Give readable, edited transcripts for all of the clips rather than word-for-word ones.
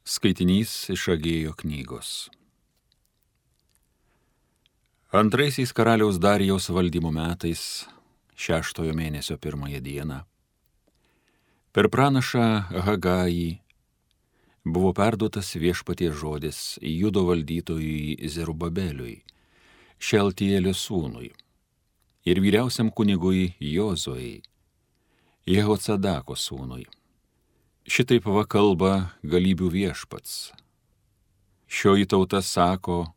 Skaitinys iš Agėjo knygos. Antraisiais karaliaus Darijaus valdymo metais, 6 mėnesio 1 dieną, per pranašą Hagajį buvo perduotas Viešpaties žodis Judo valdytojui Zerubabeliui, Šeltielio sūnui, ir vyriausiam kunigui Jozuei, Jehocadako sūnui. Šitaip va kalba galybių Viešpats. Šioji tauta sako,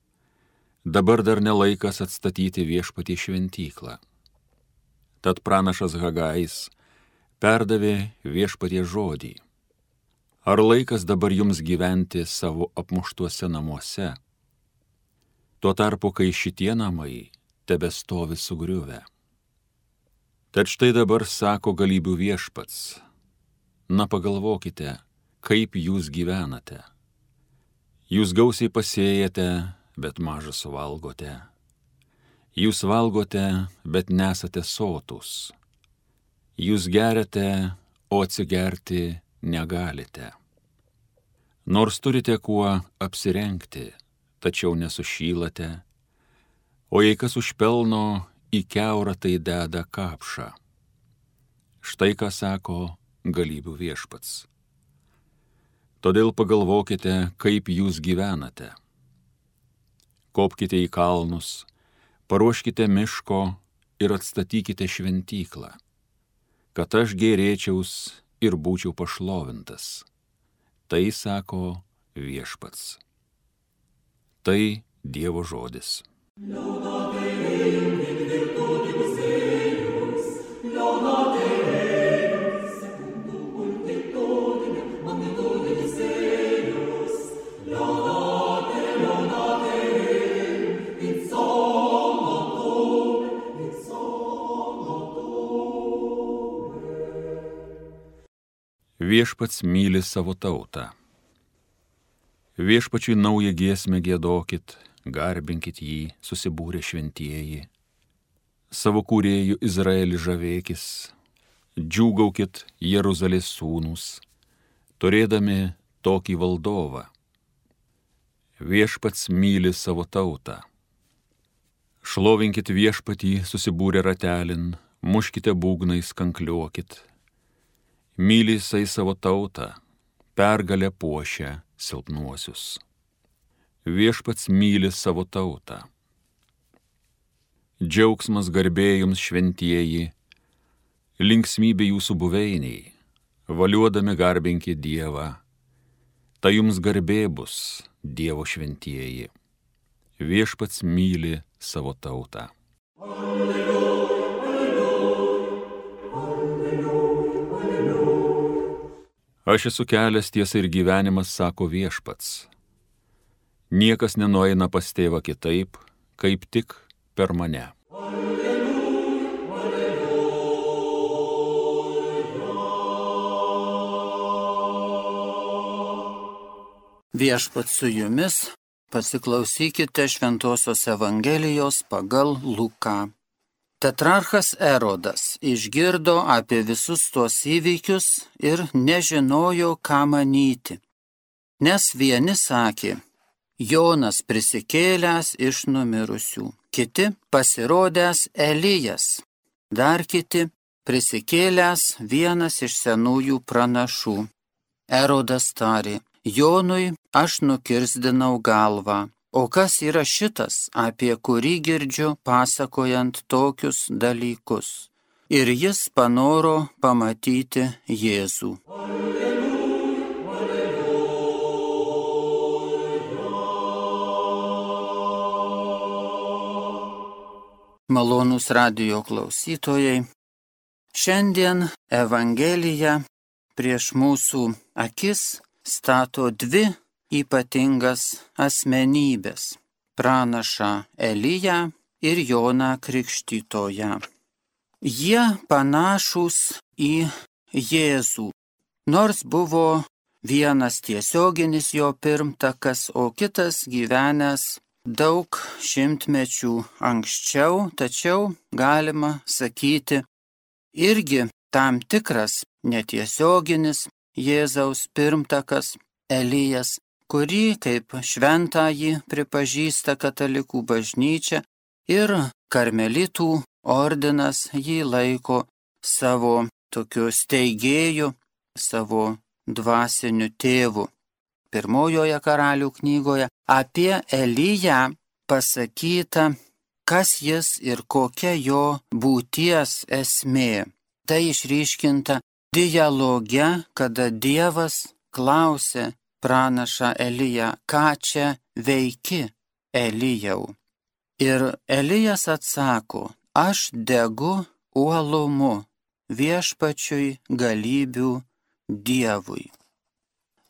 dabar dar nelaikas atstatyti Viešpatie šventyklą. Tad pranašas Hagajis perdavė Viešpatie žodį. Ar laikas dabar jums gyventi savo apmuštuose namuose? Tuo tarpu, kai šitie namai tebestovi sugriuvę. Tad štai dabar sako galybių Viešpats. Na pagalvokite, kaip jūs gyvenate. Jūs gausiai pasėjate, bet maža suvalgote. Jūs valgote, bet nesate sotūs. Jūs geriate, o atsigerti negalite. Nors turite kuo apsirengti, tačiau nesušylate, o jei kas užpelno, į kiaurą tai deda kapšą. Štai ką sako galybių Viešpats. Todėl pagalvokite, kaip jūs gyvenate. Kopkite į kalnus, paruoškite miško ir atstatykite šventyklą, kad aš gėrėčiaus ir būčiau pašlovintas. Tai sako Viešpats. Tai Dievo žodis. Viešpats myli savo tautą. Viešpačiui naują giesmę giedokit, garbinkit jį, susibūrę šventieji. Savo kūrėjų Izraelį žavėkis, džiūgaukit Jeruzalės sūnūs, turėdami tokį valdovą. Viešpats myli savo tautą. Šlovinkit Viešpatį susibūrę ratelin, muškite būgnais, kankliuokit. Myli jisai savo tautą, pergalę puošia silpnuosius. Viešpats myli savo tautą. Džiaugsmas garbė jums šventieji, linksmybė jūsų buveiniai, valiuodami garbinkit Dievą. Tai jums garbė bus, Dievo šventieji. Viešpats myli savo tautą. Aš esu kelias, tiesa ir gyvenimas, sako Viešpats. Niekas nenueina pas tėvą kitaip, kaip tik per mane. Viešpats su jumis, pasiklausykite Šventosios Evangelijos pagal Luką. Tetrarchas Erodas išgirdo apie visus tuos įvykius ir nežinojo, ką manyti. Nes vieni sakė, Jonas prisikėlęs iš numirusių, kiti pasirodęs Elijas, dar kiti prisikėlęs vienas iš senųjų pranašų. Erodas tarė, Jonui aš nukirsdinau galvą. O kas yra šitas, apie kurį girdžiu pasakojant tokius dalykus? Ir jis panoro pamatyti Jėzų. Malonūs radijo klausytojai, šiandien Evangelija prieš mūsų akis stato dvi ypatingas asmenybės – pranašą Eliją ir Joną Krikštytoją. Jie panašūs į Jėzų, nors buvo vienas tiesioginis jo pirmtakas, o kitas gyvenęs daug šimtmečių anksčiau, tačiau galima sakyti irgi tam tikras netiesioginis Jėzaus pirmtakas, Elijas, kurį kaip šventąjį pripažįsta katalikų bažnyčia ir karmelitų ordinas jį laiko savo tokiu steigėju, savo dvasiniu tėvu. Pirmojoje Karalių knygoje apie Eliją pasakyta, kas jis ir kokia jo būties esmė. Tai išryškinta dialoge, kada Dievas klausė pranašą Eliją, ką čia veiki, Elijau. Ir Elijas atsako, aš degu uolumu viešpačiui galybių Dievui.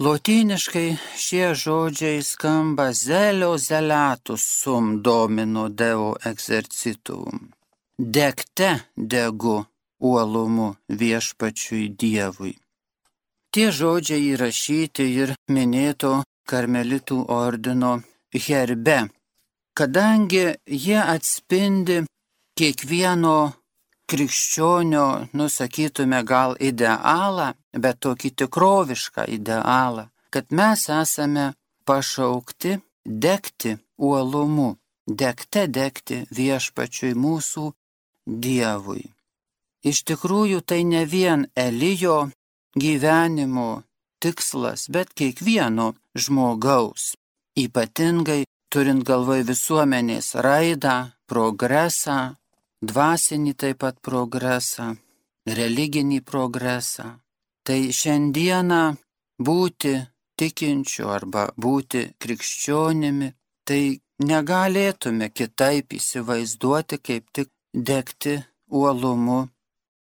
Lotyniškai šie žodžiai skamba zelio zelatus sum domino deo exercitum. Degte degu uolumu viešpačiui Dievui. Tie žodžiai įrašyti ir minėto karmelitų ordino herbe, kadangi jie atspindi kiekvieno krikščionio, nusakytume gal idealą, bet tokį tikrovišką idealą, kad mes esame pašaukti degti uolumu, degte degti viešpačiui mūsų Dievui. Iš tikrųjų tai ne vien Elijo gyvenimo tikslas, bet kiekvieno žmogaus, ypatingai turint galvoje visuomenės raidą, progresą, dvasinį taip pat progresą, religinį progresą. Tai šiandieną būti tikinčiu arba būti krikščionimi, tai negalėtume kitaip įsivaizduoti, kaip tik degti uolumu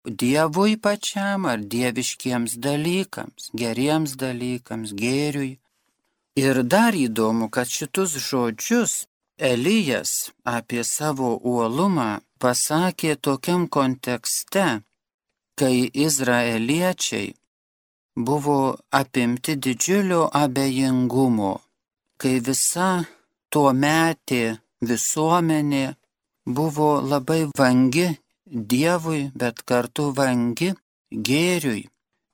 Dievui pačiam ar dieviškiems dalykams, geriems dalykams, gėriui. Ir dar įdomu, kad šitus žodžius Elijas apie savo uolumą pasakė tokiam kontekste, kai izraeliečiai buvo apimti didžiulio abejingumo, kai visa tuometė visuomenė buvo labai vangi Dievui, bet kartu vangi gėriui,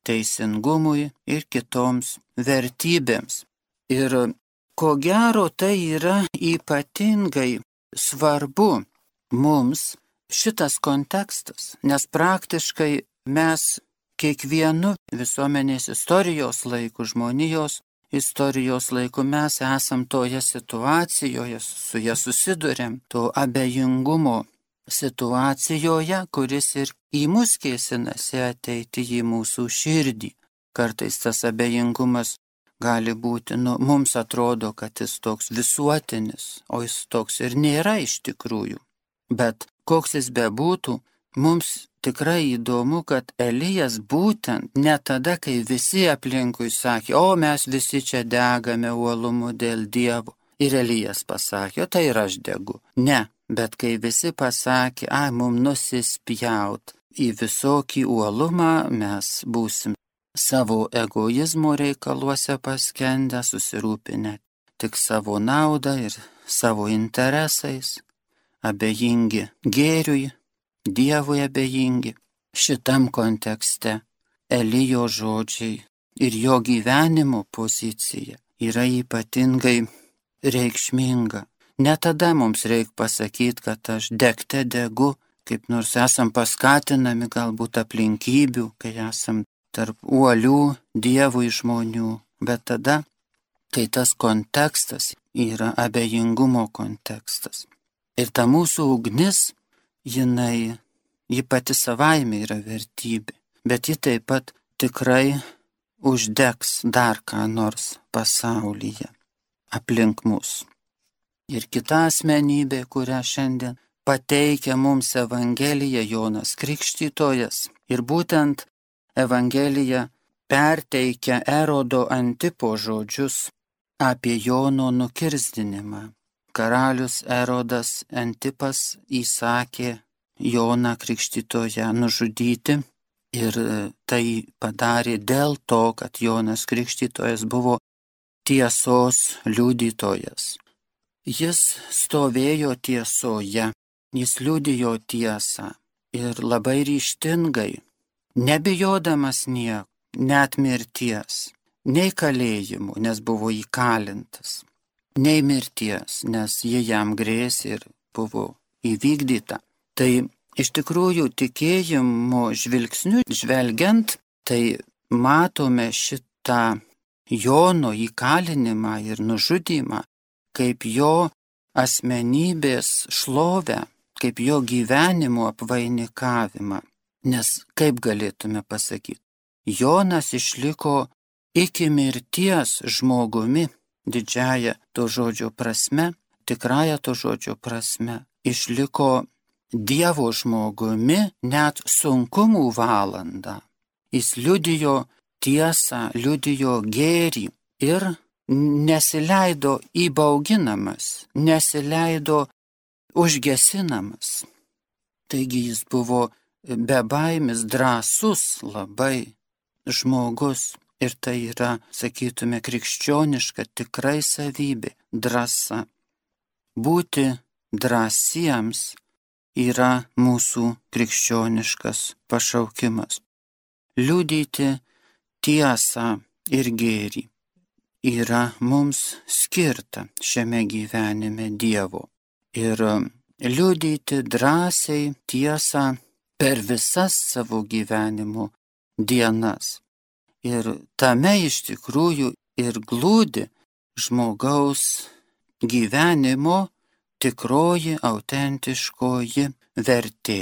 teisingumui ir kitoms vertybėms. Ir ko gero tai yra ypatingai svarbu mums šitas kontekstas, nes praktiškai mes kiekvienu visuomenės istorijos laiku, žmonijos istorijos laiku mes esam toje situacijoje, su ja susidurėm, to abejingumo situacijoje, kuris ir į mus kėsinasi ateiti į mūsų širdį. Kartais tas abejingumas gali būti, mums atrodo, kad jis toks visuotinis, o jis toks ir nėra iš tikrųjų. Bet koks jis bebūtų, mums tikrai įdomu, kad Elijas būtent ne tada, kai visi aplinkui sakė, o mes visi čia degame uolumu dėl Dievo. Ir Elijas pasakė, o tai ir aš degu. Ne, bet kai visi pasakė, mums nusispjaut į visokį uolumą, mes būsim savo egoizmo reikaluose paskendę, susirūpinę tik savo naudą ir savo interesais, abejingi gėriui, Dievui abejingi. Šitam kontekste Elijo žodžiai ir jo gyvenimo pozicija yra ypatingai reikšminga. Ne tada mums reikia pasakyti, kad aš degte degu, kaip nors esam paskatinami galbūt aplinkybių, kai esam tarp uolių Dievui žmonių, bet tada, kai tas kontekstas yra abejingumo kontekstas. Ir ta mūsų ugnis, ji pati savaime yra vertybė, bet ji taip pat tikrai uždegs dar ką nors pasaulyje aplink mus. Ir kita asmenybė, kurią šiandien pateikia mums Evangelija, Jonas Krikštytojas. Ir būtent Evangelija perteikia Erodo Antipo žodžius apie Jono nukirsdinimą. Karalius Erodas Antipas įsakė Joną Krikštytoją nužudyti ir tai padarė dėl to, kad Jonas Krikštytojas buvo tiesos liudytojas. Jis stovėjo tiesoje, jis liudijo tiesą ir labai ryžtingai, nebijodamas nieko, net mirties, nei kalėjimų, nes buvo įkalintas, nei mirties, nes jie jam grėsė ir buvo įvykdyta. Tai iš tikrųjų tikėjimo žvilgsniu žvelgiant, tai matome šitą Jono įkalinimą ir nužudymą kaip jo asmenybės šlovę, kaip jo gyvenimo apvainikavimą. Nes kaip galėtume pasakyti, Jonas išliko iki mirties žmogumi, didžiaja to žodžio prasme, tikrąja to žodžio prasme, išliko Dievo žmogumi net sunkumų valandą. Jis liudijo tiesą, liudijo gėrį ir nesileido įbauginamas, nesileido užgesinamas. Taigi jis buvo bebaimis, drąsus labai žmogus ir tai yra, sakytume, krikščioniška tikrai savybė, drąsa. Būti drąsiems yra mūsų krikščioniškas pašaukimas. Liudyti tiesą ir gėrį yra mums skirta šiame gyvenime Dievo. Ir liudyti drąsiai tiesą per visas savo gyvenimo dienas. Ir tame iš tikrųjų ir glūdi žmogaus gyvenimo tikroji, autentiškoji vertė.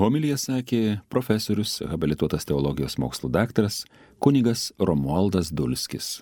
Homiliją sakė profesorius, habilituotas teologijos mokslų daktaras, kunigas Romualdas Dulskis.